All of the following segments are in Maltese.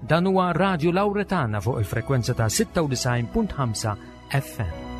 Dan huwa Radio Lauretana fuq il-frekwenza ta' 96.5 FM.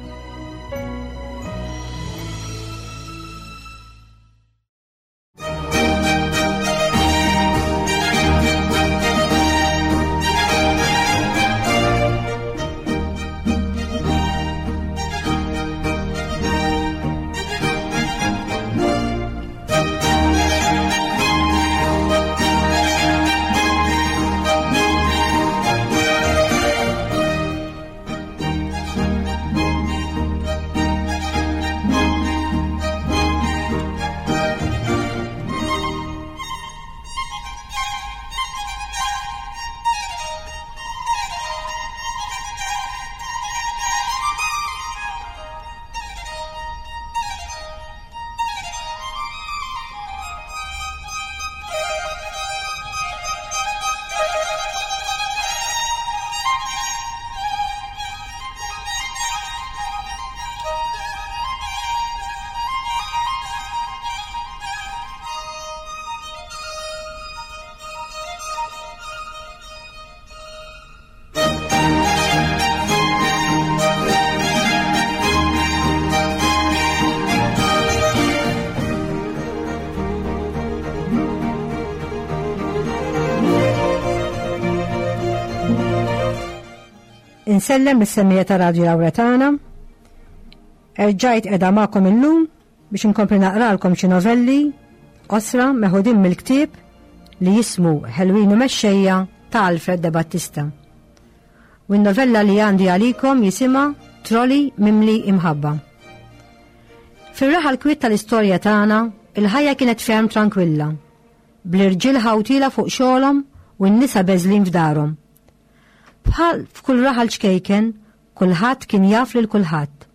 Insellem is-semmija ta' Radio Lauretana. Erġajt edha magħkom illum biex inkompli naqralkom xi novelli qosra meħudin mill-ktieb li jismu Ħelwin u Mexxejja ta' Alfred De Battista. U n-novella li għandi għalikom jisimha Trolli Mimli Imħabba. Fir-raħal kwiet tal-istorja tagħna, il-ħajja kienet ferm trankwilla, bl-irġiel ħawtila fuq xogħolhom u n-nisa beżlin f'darhom. Bħal f'kull raħal ċkejken, kulħadd kien jaf lil kulħadd,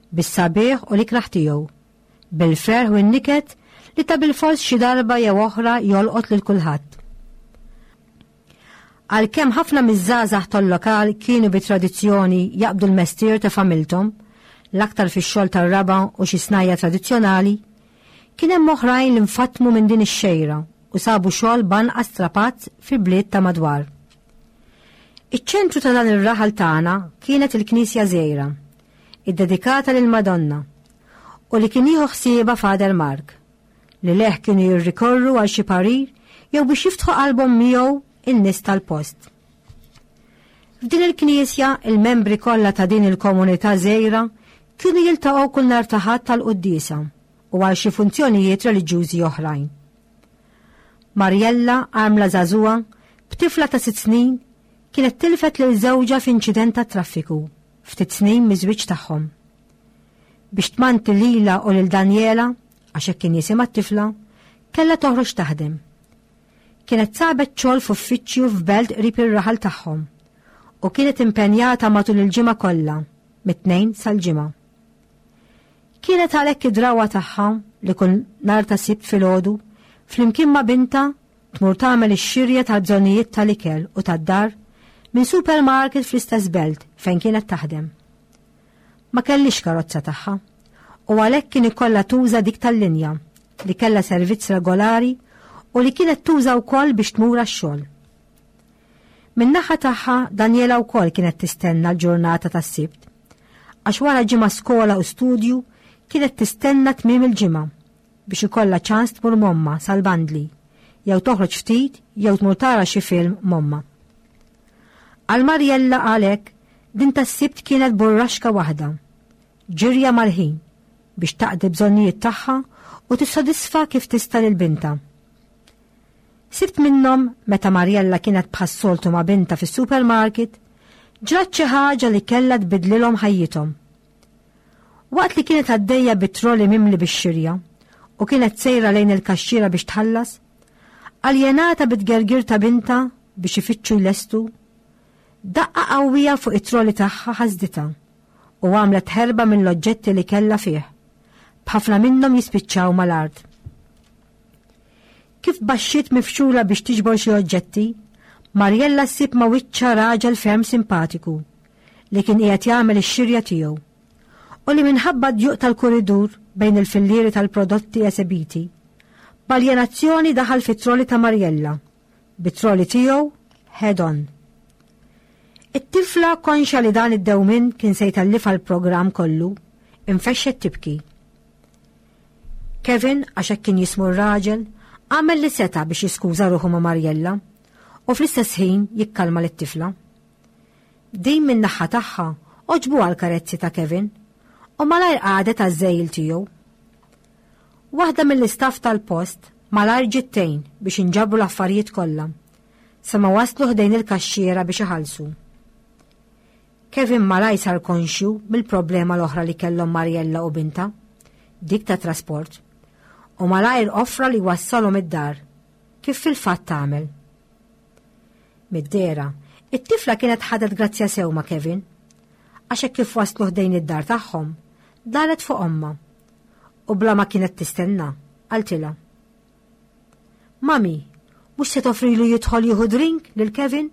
bis-sabiħ u l-ikrah tiegħu, bil-ferħ u n-niket li ta' bilfors xi darba jew oħra jolqot lil kulħadd. Għalkemm ħafna miż-żgħażagħ tal-lokal kienu bi tradizzjoni jaqbdu l-mestier ta' familthom, l-aktar fix-xogħol tar-raba' u xi snajja' tradizzjonali, kien hemm oħrajn li nfatmu minn din ix-xejra u sabu xogħol b'anqas strapazz fil-bliet ta' madwar. Iċ-ċentru ta' dan ir-raħal tagħna kienet il-knisja żgħira, iddedikata lill-Madonna, u li kien jieħu ħsiebha Father Mark, li leh kienu jirrikorru għal xi parir jew biex jiftħu qalbhom miegħu in-nies tal-post. F'din il-knisja, il-membri kollha ta' din il-komunità żgħira kienu jiltaqgħu kull nhar ta' Ħadd tal-quddiesa u għal xi funzjonijiet reliġjużi oħrajn. Mariella, armla żagħżugħa, b'tifla ta' sitt snin, kienet tilfet lil żewġha f'inċident tat-traffiku ftit snin miż-żwieġ tagħhom. Biex tmanti lilha u lil Daniela, għax hekk kien jisimha t-tifla, kellha toħroġ taħdem. Kienet sabet xogħol f'uffiċċju f'belt qrib ir-raħal tagħhom u kienet impenjata matul il-ġimgħa kollha, mit-Tnejn sal-Ġimgħa. Kienet għalhekk id-drawwa tagħha li kull nhar ta' Sibt filgħodu, flimkien ma' bintha, tmur tagħmel ix-xirja tal-bżonnijiet tal-ikel u tad-dar minn supermarket fl-istess belt fejn kienet taħdem. Ma kellhiex karozza tagħha u għalhekk kien ikollha tuża dik tal-linja li kellha servizz regolari u li kienet tuża wkoll biex tmur għax-xogħol. Min-naħa tagħha Daniela wkoll kienet tistenna l-ġurnata tas-Sibt. Għax wara ġimgħa skola u studju kienet tistenna tmiem il-ġimgħa biex ikollha ċans tmur m'ommha sal-bandli jew toħroġ ftit jew tmur tara xi film m'ommha. Għal Mariella għalhekk din tas-Sibt kienet burraxka waħda, ġirja mal-ħin biex taqdi bżonnijiet tagħha u tissodisfa kif tista' lil bintha. Sibt minnhom meta Mariella kienet bħas-soltu ma' bintha fis-supermarket, ġrat xi ħaġa li kellha tbiddlilhom ħajjithom. Waqt li kienet għaddejja bit-trolley mimli bix-xirja u kienet sejra lejn il-kaxxiera biex tħallas, aljenata bit-tgergir ta' bintha biex ifittxu jlestu, daqqa qawwija fuq it-trolley tagħha ħasditha u għamlet ħerba mill-oġġetti li kellha fih, b'ħafna minnhom jispiċċaw mal-art. Kif baxxiet mifxula biex tiġbor xi oġġetti, Mariella ssib ma' wiċċha raġel ferm simpatiku li kien qiegħed jagħmel ix-xirja tiegħu u li minħabba d-djuq tal-kuridur bejn il-fillieri tal-prodotti esebiti, b'aljenazzjoni daħal fit-troli ta' Mariella, bit-troli tiegħu head on. It-tifla konxa li dan id-dewmien kien se jtellifha l-programm kollu, infexxet tibki. Kevin, għax hekk kien jismu r-raġel, għamel li seta' biex jiskuża ruħu ma' Mariella u fl-istess ħin jikkalma lit-tifla. Din min-naħa tagħha għoġbuha l-karezzi ta' Kevin u malajr qagħdet għaż-żegħil tiegħu. Waħda mill-istaff tal-post malajr ġiet tgħin biex inġabru l-affarijiet kollha sa ma waslu ħdejn il-kaxxiera biex iħallsu. Kevin malajr sar konxju mill-problema l-oħra li kellhom Mariella u bintha, dik ta' trasport, u malajr offra li jwassalhom id-dar, kif fil-fatt għamel. Mid-dehra, it-tifla kienet ħadet grazzja sew ma' Kevin, għax hekk kif waslu ħdejn id-dar tagħhom, daret fuq ommha u bla ma kienet tistenna, qaltilha. Mami, mhux se toffrilu jidħol jieħu drink lil Kevin?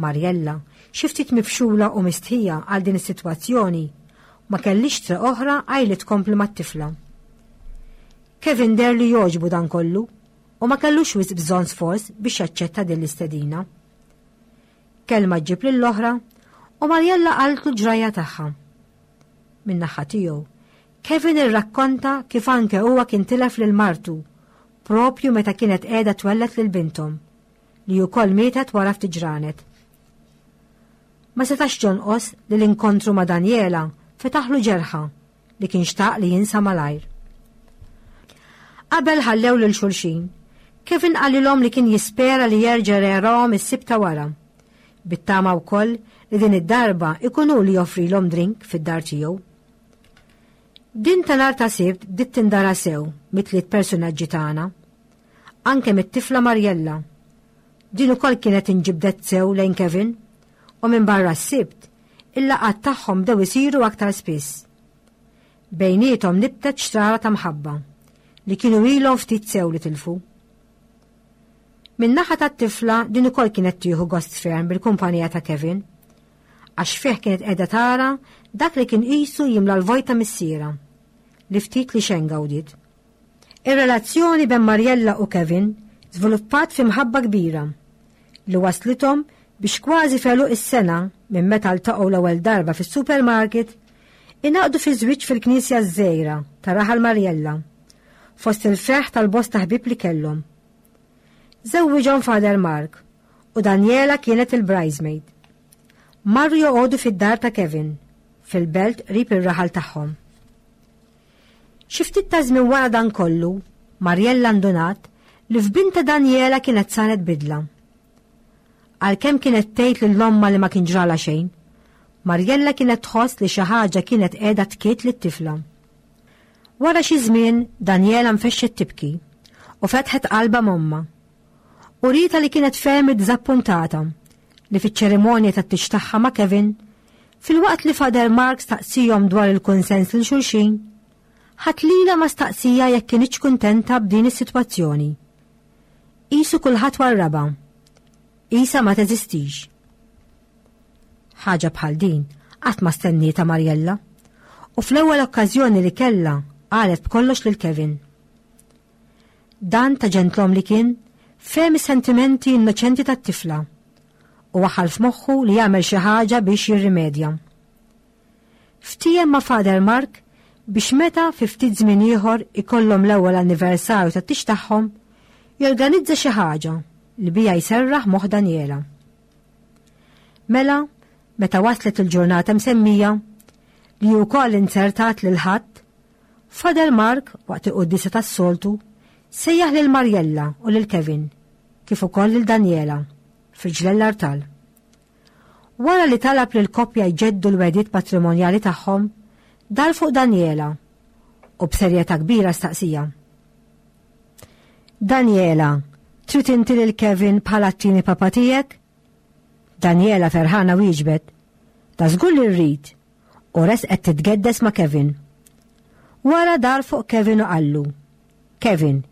Mariella, xi ftit mifxula u mistħija għal din is-sitwazzjoni, ma kellix triq oħra għajr li tkompli mat-tifla. Kevin deher li jogħġbu dan kollu u ma kellux wisq bżonn sforz biex jaċċetta din l-istedina. Kelma ġġib lill-oħra u Mariella qaltlu l-ġrajja tagħha. Min-naħa tiegħu, Kevin irrakkonta kif anke huwa kien tilef lil martu propju meta kienet qiegħda twelled lil binthom, li wkoll mietet wara ftit ġranet. Ma setax jonqos li l-inkontru ma' Daniela fetaħlu ġerħa li kien xtaq li jinsa malajr. Qabel ħallew lil xulxin, Kevin qalilhom li kien jispera li jerġa' jarahom is-Sibt ta' wara. Bit-tama wkoll li din id-darba ikun hu li joffrilhom drink fid-dar tiegħu. Din ta' nhar ta' Sibt bdiet tindara sew mit-tliet persunaġġi tagħna. Anke mit-tifla Mariella. Din ukoll kienet inġibdet sew lejn Kevin u minbarra s-Sibt, il-laqgħat tagħhom bdew isiru aktar spiss. Bejniethom nibtet xrara ta' mħabba li kienu ilhom ftit sew li tilfu. Min-naħa tat-tifla din ukoll kienet tieħu gost ferm bil-kumpanija ta' Kevin, għax fih kienet qiegħda tara dak li kien qisu jimla l-vojt ta' missierha, li ftit li xejn gawdiet. Ir-relazzjoni bejn Mariella u Kevin żviluppat fi mħabba kbira li waslithom biex kważi f'għeluq is-sena minn meta ltaqgħu l-ewwel darba fis-supermarket, ingħaqdu fi żwieġ fil-knisja ż-żgħira ta' raħal Mariella, fost il-ferħ tal-bosta ħbieb li kellhom. Żewwiġhom Father Mark u Daniela kienet il-bridesmaid. Marru joqogħdu fid-dar ta' Kevin, fil-belt qrib ir-raħal tagħhom. Xi ftit ta' żmien wara dan kollu, Mariella ndunat li f'bintha Daniela kienet saret bidla. Għalkemm kienet tgħid lil ommha li ma kien ġralha xejn, Mariella kienet tħoss li xi ħaġa kienet qiegħda tkiet lit-tifla. Wara xi żmien, Daniela nfexxet tibki u fetħet qalbha m'ommha. Urietha li kienet ferm iddiżappuntata li fiċ-ċerimonja tat-tieġ tagħha ma' Kevin, filwaqt li Father Mark staqsihom dwar il-kunsens lil xulxin, ħadd lilha ma staqsieha jekk kinitx kuntenta b'din is-sitwazzjoni. Qisu kulħadd warrabha. Qisha ma teżistix. Ħaġa bħal din qatt ma stennietha Mariella u fl-ewwel okkażjoni li kellha qalet b'kollox lil Kevin. Dan ta' ġentlom li kien, fehem is-sentimenti innoċenti tat-tifla u waħħal f'moħħu li jagħmel xi ħaġa biex jirrimedja. Ftiehem ma' Father Mark biex meta fi ftit żmien ieħor ikollhom l-ewwel anniversarju tat-tieġ tagħhom, jorganizza xi ħaġa li biha jserraħ moħħ Daniela. Mela, meta waslet il-ġurnata msemmija, li wkoll inzertat lil Ħadd, Father Mark, waqt il-quddiesa tas-soltu, sejjaħ lil Mariella u lil Kevin, kif ukoll lil Daniela, f'riġlejn l-artal. Wara li talab lill-koppja jġeddu l-wegħdiet matrimonjali tagħhom, dar fuq Daniela u b'serjetà kbira staqsija. Daniela, trid inti lil Kevin bħala t-tieni papa tiegħek? Daniela ferħana wieġbet, Ta' żgur li rrid, u resqet titgeddes ma' Kevin. Wara dar fuq Kevin u qallu, Kevin,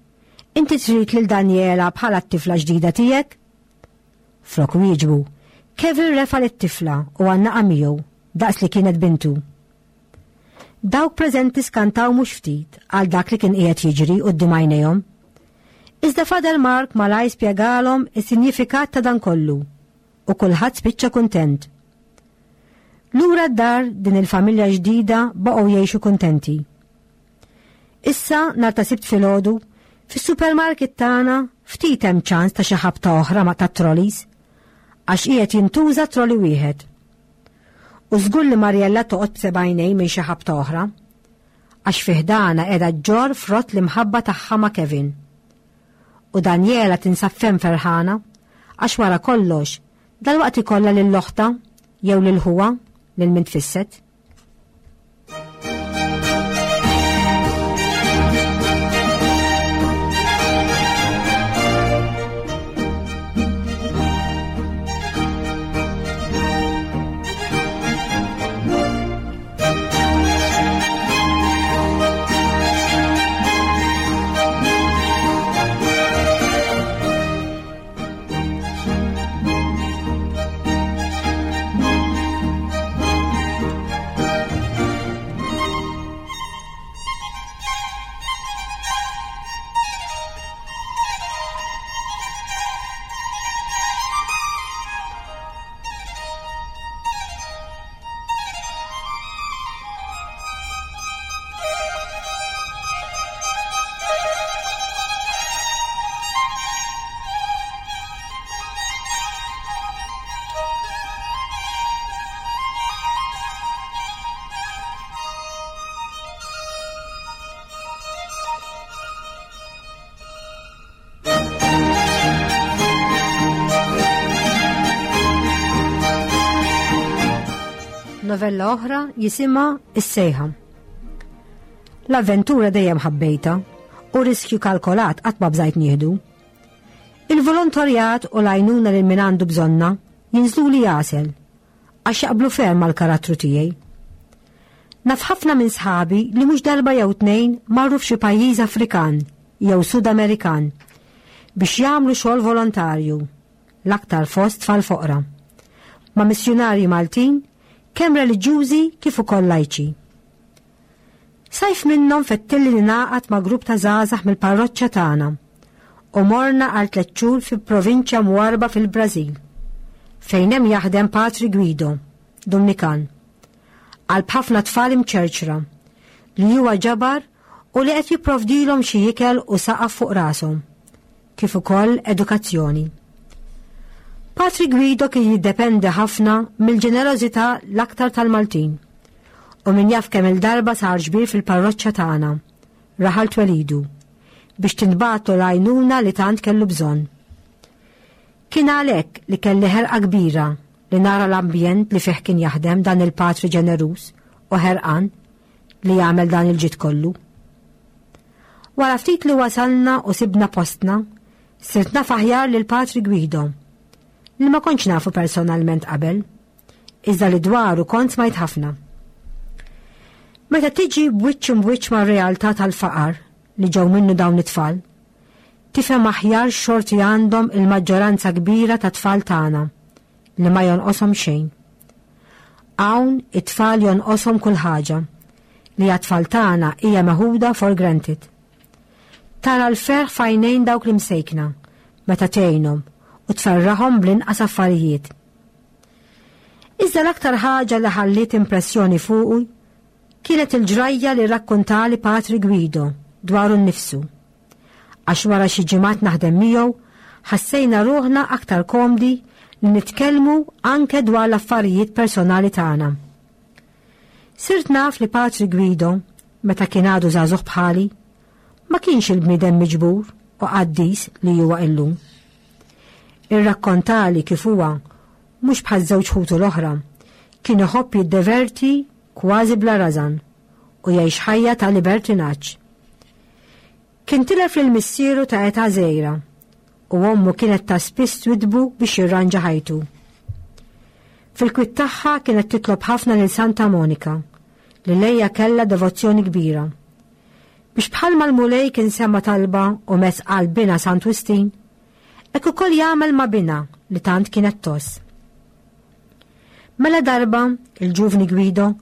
inti trid lil Daniela bħala t-tifla ġdida tiegħek? Flok wieġbu, Kevin refa' lit-tifla u għannaqha miegħu daqs li kienet bintu. Dawk preżenti skantaw mhux ftit għal dak li kien qiegħed jiġri quddiem għajnejhom. Iżda Father Mark malajr spjegalhom is-sinjifikat ta' dan kollu. u kulħadd spiċċa kuntent. Lura d-dar din il-familja ġdida baqgħu jgħixu kuntenti. Issa nhar ta' Sibt filgħodu, fis-supermarket tagħna ftit hemm ċans ta' xi ħabta oħra ma' tat-trolleys għax qiegħed jintuża trolley wieħed. U żgur li Mariella toqgħod b'sebgħinejn minn xi ħabta oħra għax fi ħdana qiegħda ġġorr frott l-imħabba tagħha ma' Kevin. U Daniela tinsab ferm ferħana għax wara kollox dalwaqt ikollha lil oħtha jew lil ħuha lil min tfisset. Novella oħra jisimha Is-Sejħa. L-avventura dejjem ħabbejta u riskju kalkolat qatt ma bżajt nieħdu. Il-volontarjat u l-għajnuna lil min għandu bżonna jinżluli għasel għax jaqblu ferm mal-karattru tiegħi. Naf ħafna minn sħabi li mhux darba jew tnejn marru f'xi pajjiż Afrikan jew Sud Amerikan biex jagħmlu xogħol volontarju, l-aktar fost tfal foqra, ma' missjunarji Maltin kemm reliġjużi kif ukoll lajċi. Sajf minnhom fettilli ningħaqad ma' grupp ta' żgħażagħ mill-parroċċa tagħna u morna għal tlett xhur fi provinċja mwarrba fil-Brażil, fejn hemm jaħdem Patri Guido, Dumnikan, qalb ħafna tfal imċerċra, li huwa ġabar u li qed jipprovdilhom xi ikel u saqaf fuq rashom, kif ukoll edukazzjoni. Patri Guido kien jiddependi ħafna mill-ġenerożità l-aktar tal-Maltin u min jaf kemm il-darba sar ġbir fil-parroċċa tagħna, raħal twelidu, biex tintbagħatlu l-għajnuna li tant kellu bżonn. Kien għalhekk li kelli ħerqa kbira li nara l-ambjent li fih kien jaħdem dan il-patri ġeneruż u ħerqan li jagħmel dan il-ġid kollu. Wara ftit li wasalna u sibna postna, sirt naf aħjar lil Patri Guido, li ma kontx nafu personalment qabel, iżda li dwaru kont smajt ħafna. Meta tiġi b'wiċċ imb'wiċċ mar-realtà tal-faqar li ġew minnu dawn it-tfal, tifhem aħjar x'xorti għandhom il-maġġoranza kbira ta' tfal tagħna li ma jonqoshom xejn. Hawn it-tfal jonqoshom kull ħaġa li għat-tfal tagħna hija meħuda for granted. Tara l-ferħ f'għajnejn dawk l-imsejkna meta tgħinhom u tferraħhom bl-inqas affarijiet. Iżda l-aktar ħaġa li ħalliet impressjoni fuqu kienet il-ġrajja li rrakkuntali Patri Guido dwaru nnifsu. Għax wara xi ġimgħat naħdem miegħu, ħassejna ruħna aktar komdi li nitkellmu anke dwar l-affarijiet personali tagħna. Sirt naf li Patri Guido, meta kien għadu żagħżugħ bħali, ma kienx il-bniedem miġbur u qaddis li huwa illum. Irrakkontali kif huwa, mhux bħaż-żewġ ħutu l-oħra, kien iħobb jiddeverti kważi bla rażan u jgħix ħajja ta' libertinaġġ. Kien tilef lil missieru ta' età żgħira u ommu kienet ta' spiss twidbu biex jirranġa ħajtu. Fil-kwiet tagħha kienet titlob ħafna lil Santa Monika, li lejha kellha devozzjoni kbira. Biex bħalma l-Mulej kien sema' talba u mess qalb binha Sant Wistin, hekk ukoll jagħmel ma' binha li tant kienet tgħożż. Mela darba, il-ġuvni Guido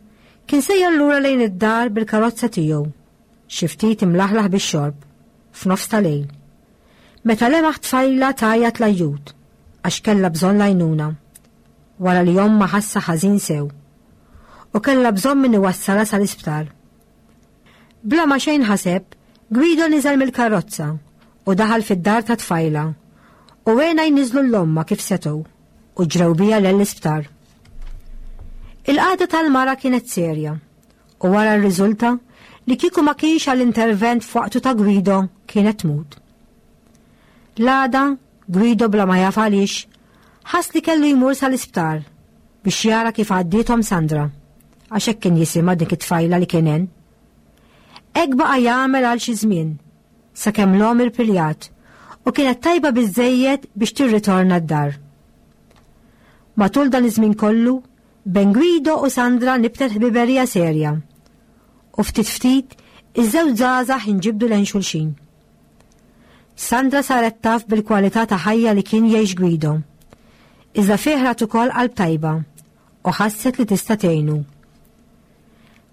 kien sejjer lura lejn id-dar bil-karozza tiegħu, xi ftit imlaħlaħ bix-xorb, f'nofs ta' lejl. Meta lemaħ tfajla tgħajjat l-ajjut għax kellha bżonn l-għajnuna. wara li ommha ħassa ħażin sew u kellha bżonn min iwassalha sal-isptar. Bla ma xejn ħaseb, Guido niżel mill-karozza u daħal fid-dar tat-tfajla u għenha jniżżlu 'l ommha kif setgħu u ġrew biha lejn l-isptar. Il-qagħda tal-mara kienet serja u wara rriżulta li kieku ma kienx għall-intervent f'waqtu ta' Guido kienet tmut. L-għada, Guido bla ma jaf għaliex, ħass li kellu jmur sal-isptar biex jara kif għaddiethom Sandra, għax hekk kien jisimha dik it-tfajla li kien għen. Hekk baqa' jagħmel għal xi żmien, sakemm l-omm irpiljat u kienet tajba biżżejjed biex tirritorna d-dar. Matul dan iż-żmien kollu, bejn Guido u Sandra nibtet ħbiberija serja u ftit ftit iż-żewġ żgħażagħ inġibdu lejn xulxin. Sandra saret taf bil-kwalità ta' ħajja li kien jgħix Guido. Iżda fih rat ukoll qalb tajba u ħasset li tista' tgħinu.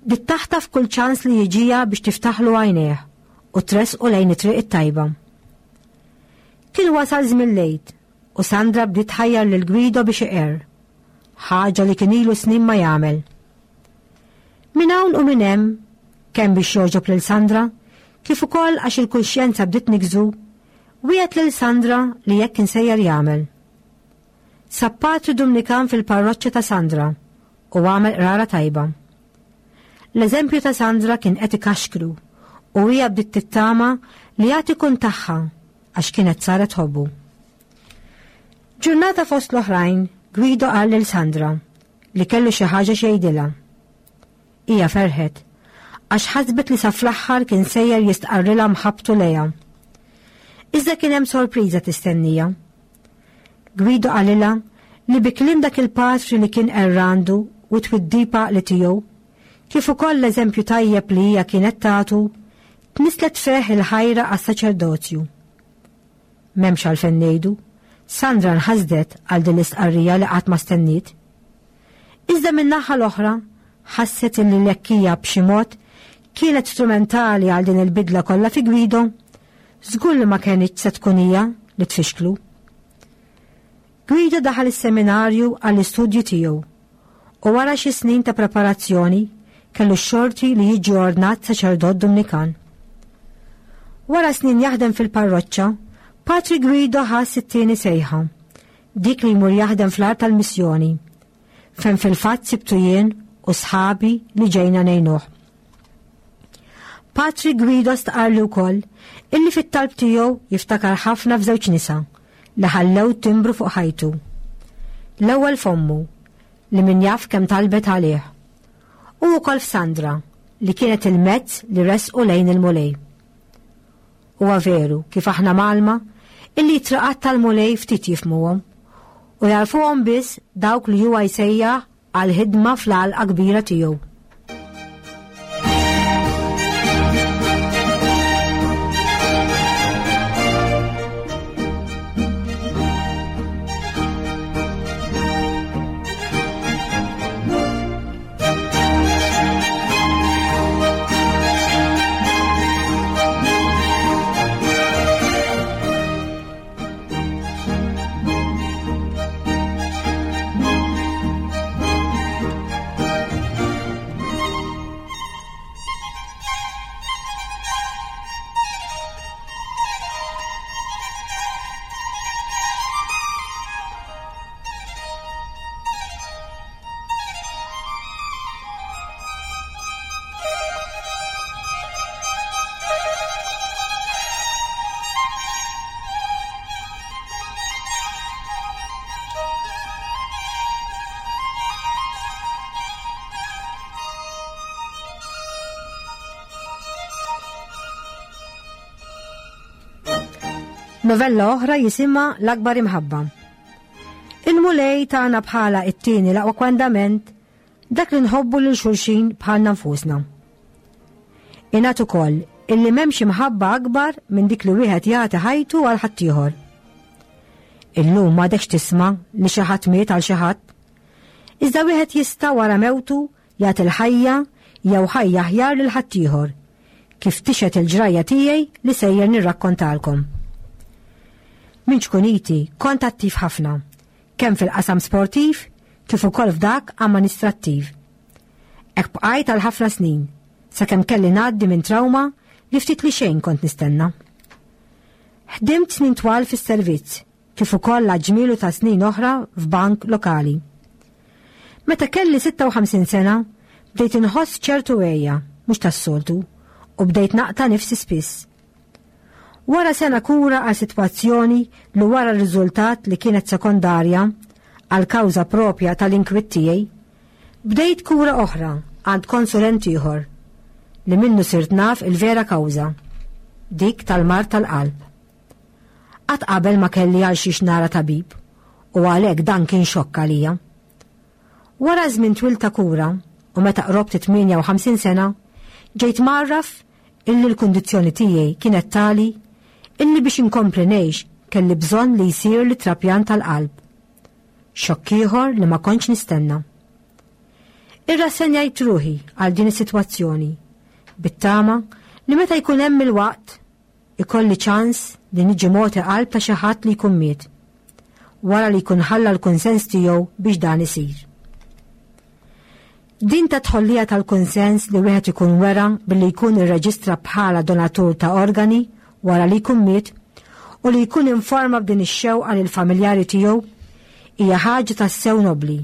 Bdiet taħtaf kull ċans li jiġiha biex tiftaħlu għajnejh u tressqu lejn it-triq it-tajba. Kien wasal żmien l-Għid u Sandra bdiet tħajjar lil Guido biex iqerr, ħaġa li kien ilu snin ma jagħmel. Minn hawn u minn hemm, kemm biex jogħġob lil Sandra, kif ukoll għax il-kuxjenza bdiet tniggżu, wiegħed lil Sandra li hekk kien sejjer jagħmel. Sab patri Dumnikan fil-parroċċa ta' Sandra u għamel qrara tajba. L-eżempju ta' Sandra kien qed ikaxkru u hija bdiet tittama li għad ikun tagħha għax kienet saret tħobbu. Ġurnata fost l-oħrajn, Guido qal lil Sandra li kellu xi ħaġa xi jgħidilha. Hija ferħet għax ħasbet li sa fl-aħħar kien sejjer jistqarrilha mħabbtu lejha. Iżda kien hemm sorpriża tistennija. Guido qalilha li bi kliem dak il-patri li kien qerr għandu u t-twiddiba li tiegħu, kif ukoll l-eżempju tajjeb li hija kienet tagħtu, tnisslet fih il-ħajra għas-saċerdozju. M'hemmx għalfejn ngħidu, Sandra nħasdet għal din l-istqarrija li qatt ma stenniet. Iżda min-naħa l-oħra, ħasset illi l-hekk hija b'xi mod kienet strumentali għal din il-bidla kollha fi Guido, żgur li ma kenitx se tkun hija li tfixklu. Guido daħal is-seminarju għall-istudju tiegħu u wara xi snin ta' preparazzjoni kellu x-xorti li jiġi ordnat saċerdot Dumnikan. Wara snin jaħdem fil-parroċċa, Patri Guido ħass it-tieni sejħa, dik li jmur jaħdem fl-art tal-missjoni, fejn fil-fatt sibtu jien u sħabi li ġejna ngħinuh. Patri Guido stqarrli wkoll illi fit-talb tiegħu jiftakar ħafna f'żewġ nisa li ħallew timbru fuq ħajtu. L-ewwel f'ommu, li min jaf kemm talbet għalih, u wkoll f'Sandra li kienet il-mezz li resqu lejn il-Mulej. Huwa veru kif aħna mgħallma illi t-triqat tal-Mulej ftit jifhmuhom u jagħrfuhom biss dawk li huwa jsejjaħ għall-ħidma fl-għalqa kbira tiegħu. Novella oħra jisimha L-Akbar Imħabba. Il-Mulej tagħna bħala it-tieni l-aqwa kwandament dak li nħobbu lil xulxin bħalna nfusna. Ingħad ukoll illi m'hemmx imħabba akbar minn dik li wieħed jagħti ħajtu għal ħaddieħor. Illum m'għadekx tisma' li xi ħadd miet għal xi ħadd. Iżda wieħed jista' wara mewtu jagħti l-ħajja jew ħajja aħjar lil ħaddieħor, kif tixhed il-ġrajja tiegħi li sejjer nirrakkontalkom. Minn ċkuniti kont attiv ħafna, kemm fil-qasam sportiv kif ukoll f'dak amministrattiv. Hekk bqajt għal ħafna snin, sakemm kelli ngħaddi minn trawma li ftit li xejn kont nistenna. Ħdimt snin twal fis-servizz, kif ukoll għal ġmielu ta' snin oħra f'bank lokali. Meta kelli 56 sena, bdejt inħoss ċertu għeja, mhux tas-soltu, u bdejt naqta' nifsi spiss. Wara sena kura għal sitwazzjoni li wara r-riżultat li kienet sekondarja għal kawża propja tal-inkwiet tiegħi, bdejt kura oħra għand konsulent ieħor li minnu sirt naf il-vera kawża, dik tal-mard tal-qalb. Qatt qabel ma kelli għal xiex nara tabib u għalhekk dan kien xokk għalija. Wara żmien twil ta' kura u meta qrobt 58 sena, ġejt mgħarraf illi l-kundizzjoni tiegħi kienet tali illi biex inkompli ngħix kelli bżonn li jsirli trapjant tal-qalb. Xokk ieħor li ma kontx nistenna. Irrassenjajt ruħi għal din is-sitwazzjoni bit-tama li meta jkun hemm il-waqt ikolli ċans li niġi mogħti qalb ta' xi ħadd li jkun miet, wara li jkun ħalla l-kunsens tiegħu biex dan isir. Din ta' tħollija tal-kunsens li wieħed ikun wera billi jkun irreġistra bħala donatur ta' organi wara li jkun miet u li jkun informa b'din ix-xewqa lill-familjari tiegħu hija ħaġa tassew nobbli.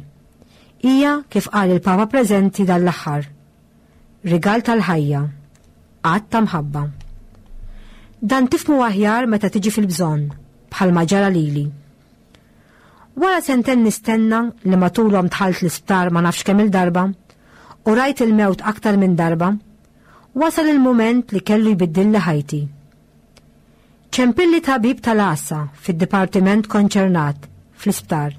Hija kif qal il-Papa preżenti dan l-aħħar. Rigal tal-ħajja. Att ta' mħabba. Dan tifhmu aħjar meta tiġi fil-bżonn, bħalma ġara lili. Wara sentejn nistenna li matulhom dħalt l-isptar ma nafx kemm il-darba u rajt il-mewt aktar minn darba, wasal il-moment li kellu jbiddilli ħajti. Ċempilli tabib tal-għassa fid-dipartiment konċernat fl-isptar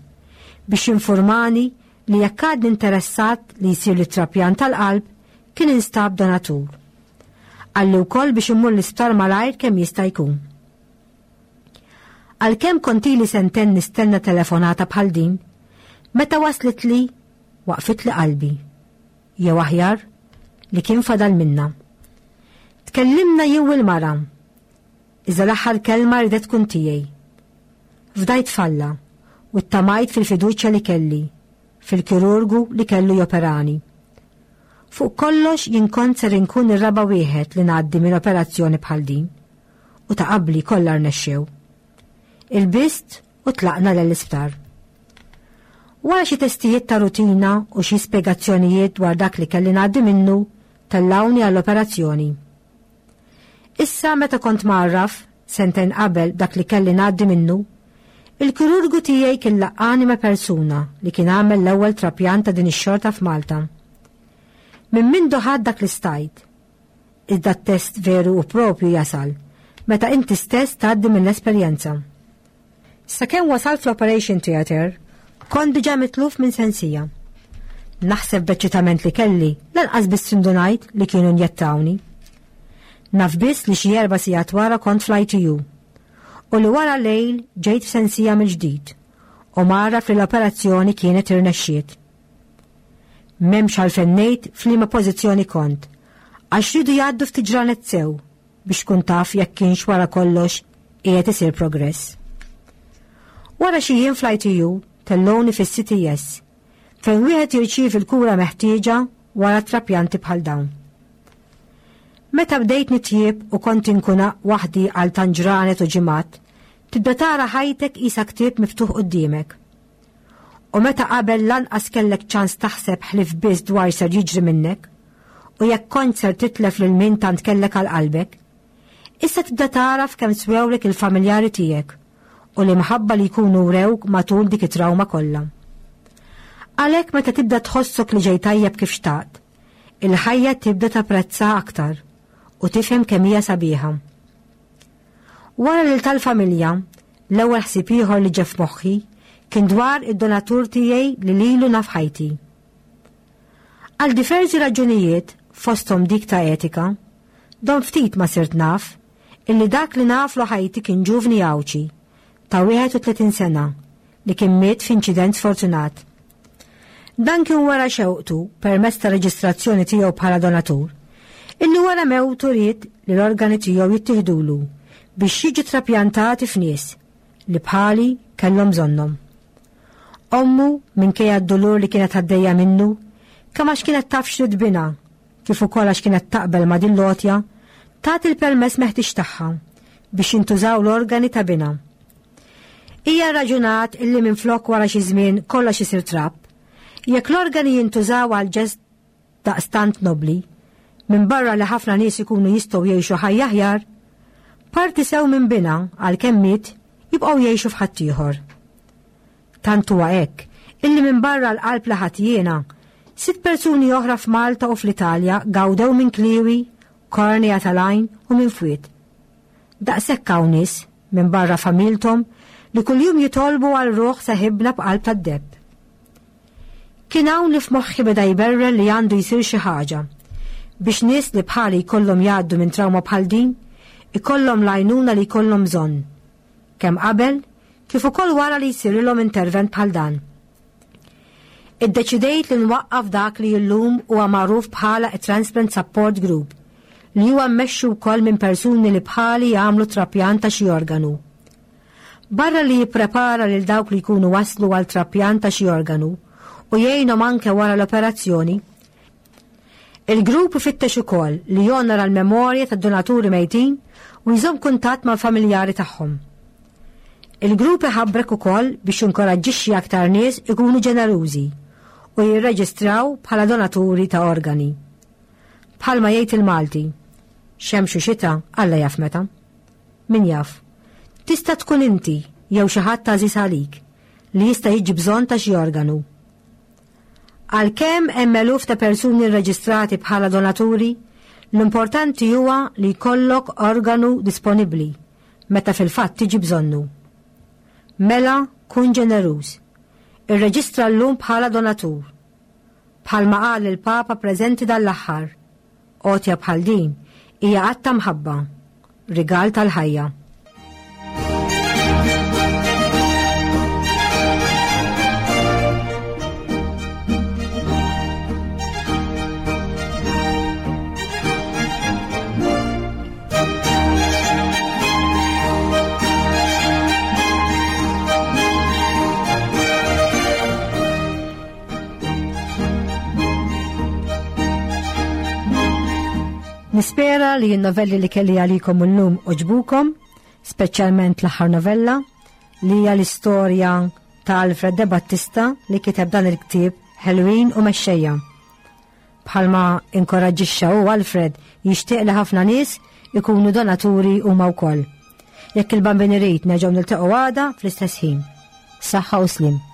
biex jinformani li jekk għadni interessat li jsirli trapjant tal-qalb kien instab donatur. Qalli wkoll biex immur l-isptar malajr kemm jista' jkun. Għalkemm kont ili sentejn nistenna telefonata bħal din, meta waslet li waqfitli qalbi. Jew aħjar li kien fadal minna. Tkellimna jien u l-mara. Iżda l-aħħar kelma ridet tkun tiegħi. Fdajt f'Alla u ttamajt fil-fiduċja li kelli, fil-kirurgu li kellu joperani. Fuq kollox jien kont ser inkun ir-raba' wieħed li ngħaddi minn operazzjoni bħal din u ta' qabli kollha rnexxew. Ilbist u tlaqna l-isptar. Wara xi testijiet ta' rutina u xi spjegazzjonijiet dwar dak li kelli ngħaddi minnu, tellawni għall-operazzjoni. Issa meta kont mgħarraf, sentejn qabel dak li kelli ngħaddi minnu, il-kirurgu tiegħi kien laqqani ma' persuna li kien għamel l-ewwel trapjant ta' din ix-xorta f'Malta. Minn mindu ħadd dak li stajt. Iżda t-test veru u propju jasal meta inti stess tgħaddi mill-esperjenza. Sakemm wasalt fl-Operation Theatre, kont diġà mitluf minn sensija. Naħseb b'eċċitament li kelli, lanqas biss indunajt li kienu njettawni. Naf biss li xi 4 sigħat wara kont fl-ITU u li wara lejl ġejt f'sensija mill-ġdid u mgħarraf li l-operazzjoni kienet irnexxiet. M'hemmx għalfejn ngħid f'liema pożizzjoni kont, għax riedu jgħaddu ftit ġranet sew biex tkun taf jekk kienx wara kollox qiegħed isir progress. Wara xi jiem fl-ITU tellgħuni fis-CTS fejn wieħed jirċievi l-kura meħtieġa wara trapjanti bħal dawn. Meta bdejt nitjieb u kont inkun waħdi għal tant ġranet u ġimgħat, tibda tara ħajtek qisha ktieb miftuħ quddiemek. U meta qabel lanqas kellek ċans taħseb ħlief biss dwar ser jiġri minnek, u jekk kont ser titlef lil min tant kellek għal qalbek, issa tibda tagħraf kemm swewlek il-familjari tiegħek u l-imħabba li jkunu wrewk matul dik it-trawma kollha. Għalhekk meta tibda tħossok li ġej tajjeb kif xtaqt, il-ħajja tibda tapprezza aktar u tifhem kemm hija sabiħa. Wara lil tal-familja, l-ewwel ħsieb ieħor li ġie f'moħħi kien dwar id-donatur tiegħi li lilu naf ħajti. Għal diversi raġunijiet, fosthom dik ta' etika, dom ftit ma sirt naf illi dak li naflu ħajti kien ġuvni Għawdxi ta' 31 sena li kien miet f'inċident sfortunat. Dan kien wara xewqtu permezz ta' reġistrazzjoni tiegħu bħala donatur, illi wara mewtu ried li l-organi tiegħu jittieħdulu biex jiġu trapjantati f'nies li bħali kellhom bżonnhom. Ommu, minkejja d-dulur li kienet għaddejja minnu, kemm għax kienet taf x'ried binha, kif ukoll għax kienet taqbel ma' din l-għotja, tat il-permess meħtieġ tagħha biex jintużaw l-organi ta' binha. Hija rraġunat illi minflok wara xi żmien kollox isir trab, jekk l-organi jintużaw għal ġest daqstant nobbli, minbarra li ħafna nies ikunu jistgħu jgħixu ħajja aħjar, parti sew minn binha għalkemm miet jibqgħu jgħixu f'ħaddieħor. Tant huwa hekk illi minbarra l-qalb li ħadt jiena, sitt persuni oħra f'Malta u fl-Italja gawdew minn kliewi, kornea tal-għajn u minn fwied. Daqshekk hawn nies, minbarra familthom, li kuljum jitolbu għal ruħ seħibna b'qalb tad-deheb. Kien hawn li f'moħħi beda jberren li għandu jsir xi ħaġa biex nies li bħali jkollhom jgħaddu minn trawma bħal din ikollhom l-għajnuna li jkollhom bżonn, kemm qabel kif ukoll wara li jsirilhom intervent bħal dan. Iddeċidejt li nwaqqaf dak li llum huwa magħruf bħala t-Transplant Support Group, li huwa mmexxi wkoll minn persuni li bħali jagħmlu trapjant ta' xi organu. Barra li jipprepara lil dawk li jkunu waslu għal trapjant ta' xi organu u jgħinhom anke wara l-operazzjoni, il-grupp ifittex ukoll li jonora l-memorja tad-donaturi mejtin u jżomm kuntatt mal-familjari tagħhom. Il-grupp iħabbrek ukoll biex jinkoraġġixxi aktar nies ikunu ġenerużi u jirreġistraw bħala donaturi ta' organi. Bħalma jgħid il-Malti, xemx u xita Alla jaf meta. Min jaf, tista' tkun inti jew xi ħadd għażiż għalik li jista' jiġi bżonn ta' xi organu. Għalkemm hemm eluf ta' persuni rreġistrati bħala donaturi, l-importanti huwa li jkollok organu disponibbli meta fil-fatt tiġi bżonnu. Mela kun ġeneruż. Irreġistra llum bħala donatur. Bħalma qal il-Papa preżenti dan l-aħħar, għotja bħal din hija att ta' mħabba, rigal tal-ħajja. Nispera li n-novelli li kelli għalikom illum oġbukom, speċjalment l-aħħar novella li hija l-istorja ta' Alfred De Battista li kiteb dan il-ktieb Ħelwin u Mexxejja. Bħalma inkoraġġixxa hu Alfred jixtieq li ħafna nies ikunu donaturi huma wkoll. Jekk il-Bambin irid nerġgħu niltaqgħu għada fl-istess ħin. Saħħa u sliem.